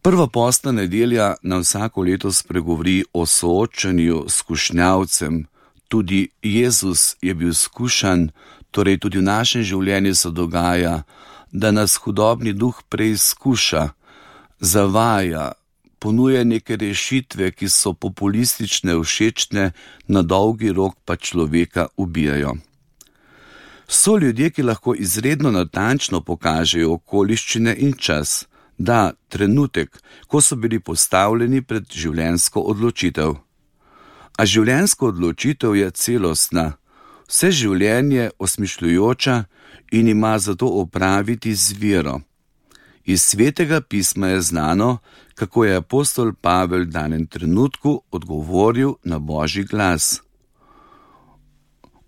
Prva postna nedelja nam vsako leto spregovori o soočanju s skušnjavcem. Tudi Jezus je bil skušan, torej tudi v našem življenju se dogaja, da nas hudobni duh preizkuša, zavaja, ponuja neke rešitve, ki so populistične, všečne, na dolgi rok pa človeka ubijajo. So ljudje, ki lahko izredno natančno pokažejo okoliščine in čas, da trenutek, ko so bili postavljeni pred življenjsko odločitev. A življenjska odločitev je celostna, vse življenje osmišljujoča in ima zato opraviti z vero. Iz Svetega pisma je znano, kako je apostol Pavel v danem trenutku odgovoril na Božji glas.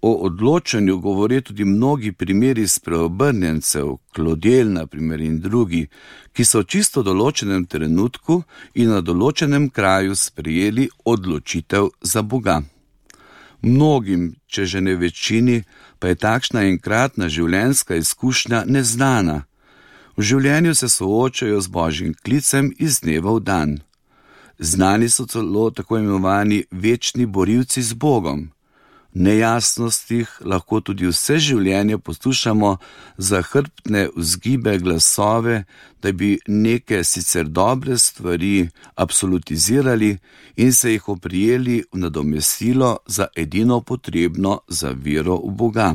O odločanju govorijo tudi mnogi primeri spreobrnjencev, Klodel na primer in drugi, ki so v čisto določenem trenutku in na določenem kraju sprejeli odločitev za Boga. Mnogim, če že ne večini, pa je takšna enkratna življenjska izkušnja neznana. V življenju se soočajo z Božjim klicem iz dneva v dan. Znani so celo tako imenovani večni borilci z Bogom. V nejasnostih lahko tudi vse življenje poslušamo zahrbtne vzgibe glasove, da bi neke sicer dobre stvari absolutizirali in se jih oprijeli v nadomestilo za edino potrebno za vero v Boga.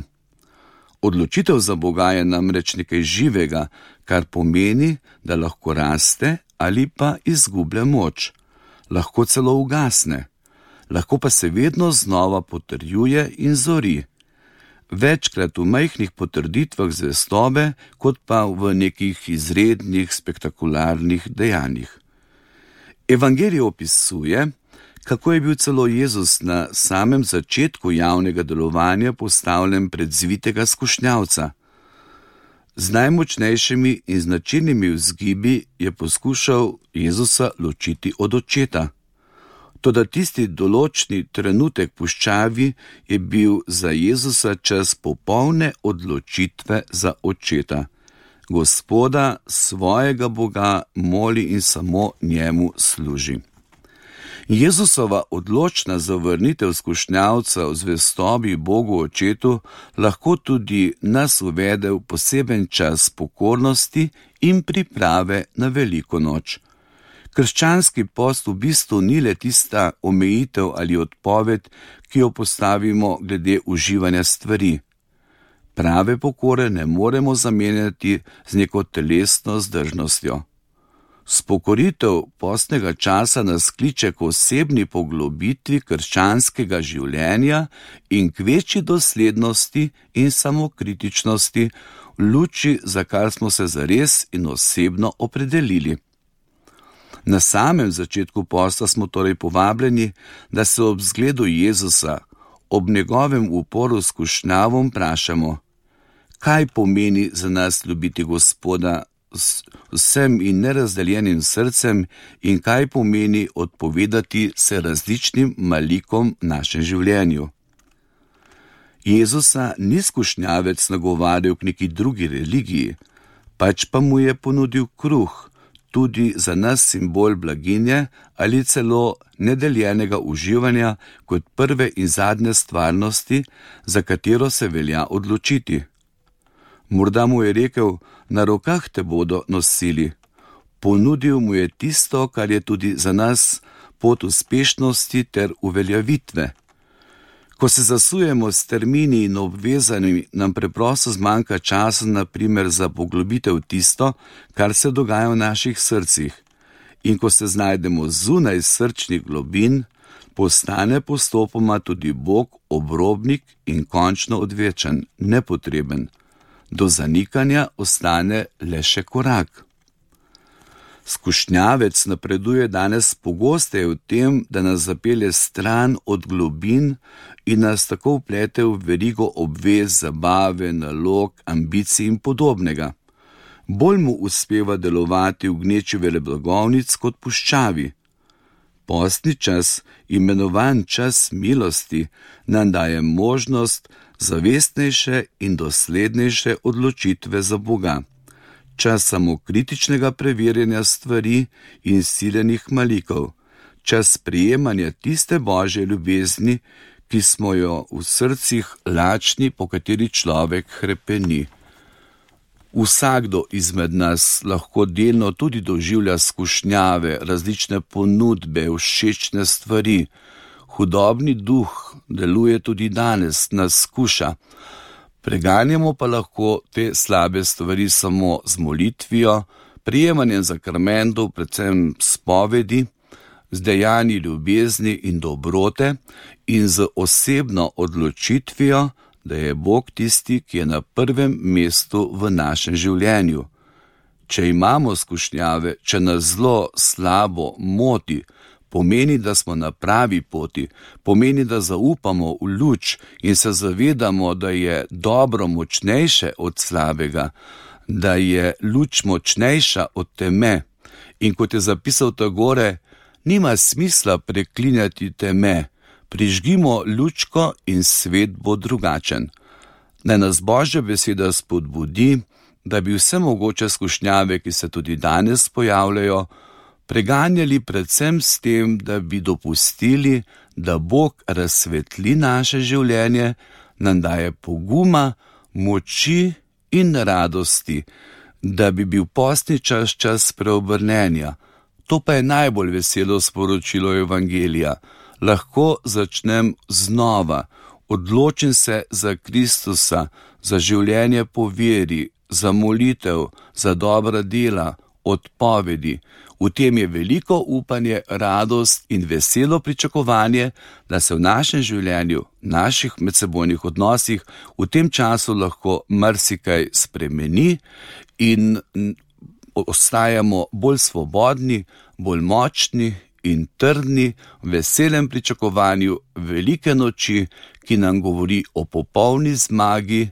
Odločitev za Boga je namreč nekaj živega, kar pomeni, da lahko raste ali pa izgublja moč, lahko celo ugasne. Lahko pa se vedno znova potrjuje in zori. Večkrat v majhnih potrditvah zvestobe, kot pa v nekih izrednih, spektakularnih dejanjih. Evangelij opisuje, kako je bil celo Jezus na samem začetku javnega delovanja postavljen pred zvitega skušnjavca. Z najmočnejšimi in značilnimi vzgibi je poskušal Jezusa ločiti od očeta. Toda tisti določni trenutek puščavi je bil za Jezusa čas popolne odločitve za očeta. Gospoda, svojega Boga, moli in samo njemu služi. Jezusova odločna zavrnitev skušnjavca v zvestobi Bogu očetu lahko tudi nas uvede v poseben čas pokornosti in priprave na veliko noč. Krščanski post v bistvu ni le tista omejitev ali odpoved, ki jo postavimo glede uživanja stvari. Prave pokore ne moremo zamenjati z neko telesno zdržnostjo. Spokoritev postnega časa nas kliče k osebni poglobitvi krščanskega življenja in k večji doslednosti in samokritičnosti v luči, za kar smo se zares in osebno opredelili. Na samem začetku posta smo torej povabljeni, da se ob zgledu Jezusa, ob njegovem uporu s skušnjavom vprašamo, kaj pomeni za nas ljubiti Gospoda z vsem in nerazdeljenim srcem in kaj pomeni odpovedati se različnim malikom v našem življenju. Jezusa ni skušnjavec nagovarjal k neki drugi religiji, pač pa mu je ponudil kruh, tudi za nas simbol blaginje ali celo nedeljenega uživanja kot prve in zadnje stvarnosti, za katero se velja odločiti. Morda mu je rekel, na rokah te bodo nosili. Ponudil mu je tisto, kar je tudi za nas pot uspešnosti ter uveljavitve. Ko se zasujemo s termini in obvezanimi, nam preprosto zmanjka časa, na primer, za poglobitev tisto, kar se dogaja v naših srcih. In ko se znajdemo zunaj srčnih globin, postane postopoma tudi Bog obrobnik in končno odvečen, nepotreben. Do zanikanja ostane le še korak. Skušnjavec napreduje danes pogosteje v tem, da nas zapelje stran od globin in nas tako vplete v verigo obvez, zabave, nalog, ambicij in podobnega. Bolj mu uspeva delovati v gneči veleblagovnic kot puščavi. Postni čas, imenovan čas milosti, nam daje možnost zavestnejše in doslednejše odločitve za Boga. čas samokritičnega preverjanja stvari in siljenih malikov, čas sprejemanja tiste Božje ljubezni, ki smo jo v srcih lačni, po kateri človek hrepeni. Vsakdo izmed nas lahko delno tudi doživlja skušnjave, različne ponudbe, všečne stvari. Hudobni duh deluje tudi danes, nas skuša. Preganjamo pa lahko te slabe stvari samo z molitvijo, prijemanjem sakramentov, predvsem spovedi, z dejanji ljubezni in dobrote in z osebno odločitvijo, da je Bog tisti, ki je na prvem mestu v našem življenju. Če imamo skušnjave, če nas zlo slabo moti, pomeni, da smo na pravi poti, pomeni, da zaupamo v luč in se zavedamo, da je dobro močnejše od slabega, da je luč močnejša od teme. In kot je zapisal Tagore, nima smisla preklinjati teme, prižgimo lučko in svet bo drugačen. Naj nas Božja beseda spodbudi, da bi vse mogoče skušnjave, ki se tudi danes pojavljajo, preganjali predvsem s tem, da bi dopustili, da Bog razsvetli naše življenje, nam daje poguma, moči in radosti, da bi bil postni čas preobrnenja. To pa je najbolj veselo sporočilo Evangelija. Lahko začnem znova, odločim se za Kristusa, za življenje po veri, za molitev, za dobra dela, odpovedi. V tem je veliko upanje, radost in veselo pričakovanje, da se v našem življenju, naših medsebojnih odnosih v tem času lahko marsikaj spremeni in ostajamo bolj svobodni, bolj močni in trdni v veselem pričakovanju velike noči, ki nam govori o popolni zmagi,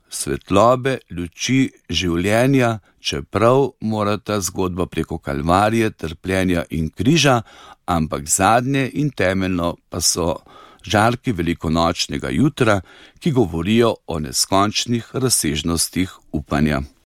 svetlobe, luči, življenja, čeprav mora ta zgodba preko kalvarije, trpljenja in križa, ampak zadnje in temeljno pa so žarki velikonočnega jutra, ki govorijo o neskončnih razsežnostih upanja.